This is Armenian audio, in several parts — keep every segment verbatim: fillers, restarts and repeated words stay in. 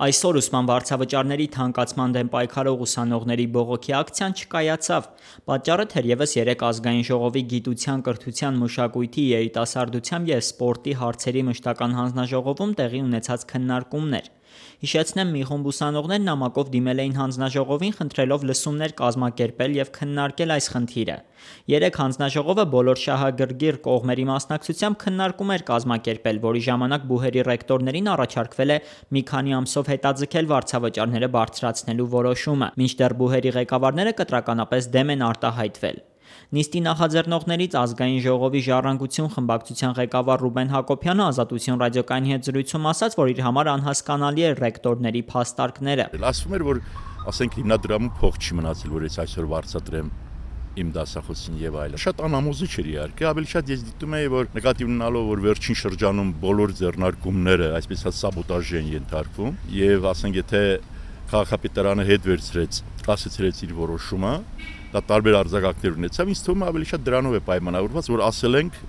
Այսօր ուսման վարձավճարների թանկացման դեմ պայքարող ուսանողների բողոքի ակցիան չկայացավ։ Պատճառը թերևս երեկ ազգային ժողովի գիտության, կրթության, մշակույթի, երիտասարդության և սպորտի հարցերի մշտական հանձնաժողովում տեղի ունեցած քննարկումն էր։ Հիշեցնեմ, մի խումբ ուսանողներ նամակով դիմել էին հանձնաժողովին, խնդրելով լսումներ կազմակերպել և քննարկել այս խնդիրը։ Երեկ հանձնաժողովը բոլոր շահագրգիռ կողմերի մասնակցությամբ քննարկում էր կազմակերպել, որի ժամանակ բուհերի ռեկտորներին առաջարկվել է մի քանի ամսով հետաձգել վարձավճարները բարձրացնելու որոշումը, մինչդեռ բուհերի ղեկավարները կտրականապես դեմ են արտահայտվել։ Նիստի նախաձեռնողներից Ազգային ժողովի Ժառանգություն խմբակցության ղեկավար Ռուբեն Հակոբյանը Ազատություն ռադիոկայանի հետ զրույցում ասաց, որ իր համար անհասկանալի է ռեկտորների փաստարկները։ Ասվում էր, որ ասենք հիմնադրամում փող չի մնացել, որ ես այսօր վարձատրեմ իմ դասախոսին եւ այլն։ Շատ անհամոզիչ էր իհարկե, ավելի շատ ես դիտում եի, որ նկատի ունենալով, որ վերջին շրջանում բոլոր ձեռնարկումները այսպես ասած սաբոտաժի են ենթարկվում եւ ասենք եթե քաղաքապետարանը հետ վերցրեց, կասեցրեց իր որոշումը, դա տարբեր արձագանքներ ունեցավ, ինձ թվում է ավելի շատ դրանով է պայմանավորված, որ ասել ենք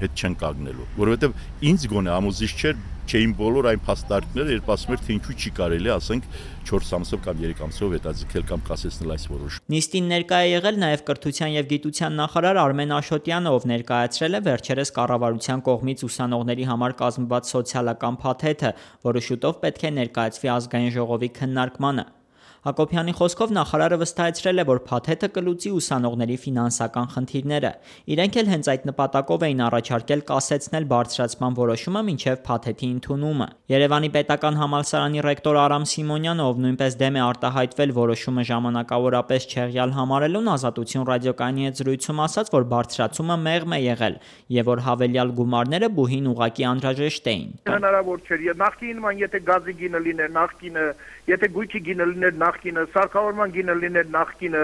հետ չեն կանգնելու, որովհետեւ ինձ գոնե ամոզիչ չէր, չէին բոլոր այն փաստարկները, երբ ասում էր, թե ինչու չի կարելի, ասենք չորս ամսով կամ երեք ամսով հետաձգել կամ կասեցնել այս որոշումը։ Նիստին ներկա է եղել նաև կրթության եւ գիտության նախարար Արմեն Աշոտյանը, ով ներկայացրել է վերջերս կառավարության կողմից ուսանողների համար կազմված սոցիալական փաթեթը, որը շուտով պետք է ներկայացվի ազգային ժողովի քննարկմանը։ Հակոբյանի խոսքով նախարարը վստահեցրել է, որ փաթեթը կլուծի ուսանողների ֆինանսական խնդիրները։ Իրենք էլ հենց այդ նպատակով էին առաջարկել կասեցնել բարձրացման որոշումը մինչև փաթեթի ընդունումը։ Երևանի պետական համալսարանի ռեկտոր Արամ Սիմոնյանը, ով նույնպես դեմ է արտահայտվել որոշումը ժամանակավորապես չեղյալ համարելուն, Ազատություն ռադիոկայանի հետ զրույցում ասաց, որ բարձրացումը մեղմ է եղել եւ որ հավելյալ գումարները բուհին ուղղակի անհրաժեշտ էին։ Հնարավոր չէր, նախկինն եթե գազի գինը լիներ, նախկինը, եթե գույքի գինը լիներ, նախկինը, սարքավորման գինը լիներ, նախկինը,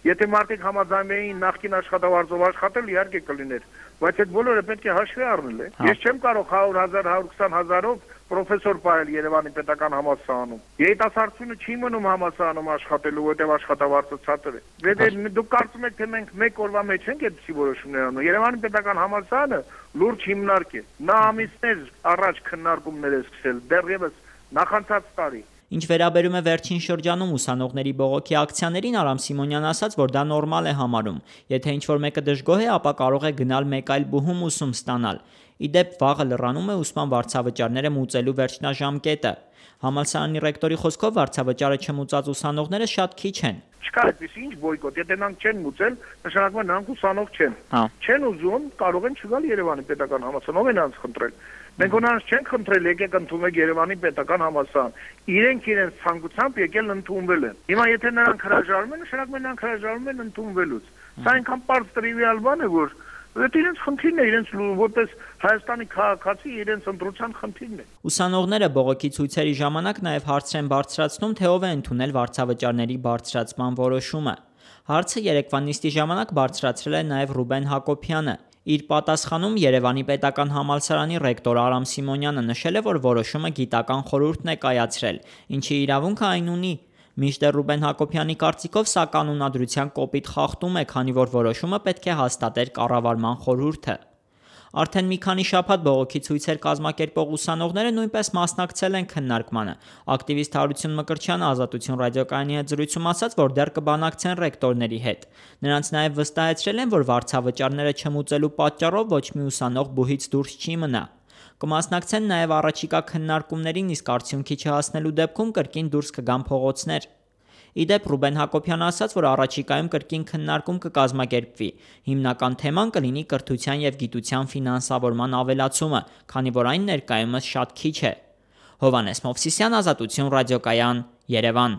եթե մարդիկ համաձայն էին նախկին աշխատավարձով աշխատել, իհարկե կլիներ, բայց այդ բոլորը պետք է հաշվի առնել է։ Ես չեմ կարող հարյուր հազար, հարյուր քսան հազարով պրոֆեսոր պահել Երևանի պետական համալսարանում։ Երիտասարդությունը չի մնում համալսարանում աշխատելու, որտեղ աշխատավարձը ցածր է։ Դուք կարծում եք, թե մենք մեկ օրվա մեջ ենք այդպիսի որոշումներ անում։ Երևանի պետական համալսարանը լուրջ հիմնարկ է։ Նա ամիսներ առաջ քննարկումներ է սկսել, դեռևս նախանցած տարի։ Ինչ վերաբերում է վերջին շրջանում ուսանողների բողոքի ակցիաներին, Արամ Սիմոնյանն ասաց, որ դա նորմալ է համարում։ Եթե ինչ-որ մեկը դժգոհ է, ապա կարող է գնալ մեկ այլ բուհում ուսում ստանալ։ Ի դեպ, վաղը լռանում է ուսման վարձավճարները մուծելու վերջնաժամկետը։ Համալսարանի ռեկտորի խոսքով վարձավճարը չմուծած ուսանողները շատ քիչ են։ Չկա այդպես ինչ բոյկոտ, եթե նրանք չեն մուծել, նշանակում է նրանք ուսանող չեն։ Չեն ուզում, կարող են չգալ Երևանի պետական համալսարան, ով է նրանց խնդրել։ Մենք նրանց չենք խնդրել, եկեք ընդունեք Երևանի պետական համալսարան։ Իրենք իրենց ցանկությամբ եկել ընդունվել են։ Հիմա եթե նրանք հրաժարվում են, նշանակում է նրանք հրաժարվում են ընդունվելուց։ Սա այնքան պարզ տրիվիալ բան է, որ դա իրենց խնդիրն է, իրենց որպես Հայաստանի քաղաքացի իրենց ընտրության խնդիրն է։ Ուսանողները բողոքի ցույցերի ժամանակ նաև հարցեր են բարձրացնում, թե ով է ընդունել վարձավճարների բարձրացման որոշումը։ Հարցը երեկվա նիստի ժամանակ բարձրացրել է նաև Ռուբեն Հակոբյանը։ Իր պատասխանում Երևանի պետական համալսարանի ռեկտոր Արամ Սիմոնյանը նշել է, որ որոշումը գիտական խորհուրդն է կայացրել, ինչի իրավունքը այն ունի։ Մինչդեռ Ռուբեն Հակոբյանի կարծիքով սա կանոնադրության կոպիտ խախտում է, քանի որ որոշումը պետք է հաստատեր կառավարման խորհուրդը։ Արդեն մի քանի շաբաթ բողոքի ցույցեր կազմակերպող ուսանողները նույնպես մասնակցել են քննարկմանը։ Ակտիվիստ Հարություն Մկրտչյանը Ազատություն ռադիոկայանի հետ զրույցում ասաց, որ դեռ կբանակցեն ռեկտորների հետ։ Նրանց նաև վստահեցրել են, որ վարձավճարները չմուծելու պատճառով ոչ մի ուսանող բուհից դուրս չի մնա։ Կմասնակցեն նաև առաջիկա քննարկումներին, իսկ արդյունքի չհասնելու դեպքում կրկին դուրս կգան փողոցներ։ Ի դեպ, Ռուբեն Հակոբյանը ասաց, որ առաջիկայում կրկին քննարկում կկազմակերպվի։ Հիմնական թեման կլինի կրթության եւ գիտության ֆինանսավորման ավելացումը, քանի որ այն ներկայումս շատ քիչ է։ Հովհաննես Մովսիսյան, Ազատություն ռադիոկայան, Երևան։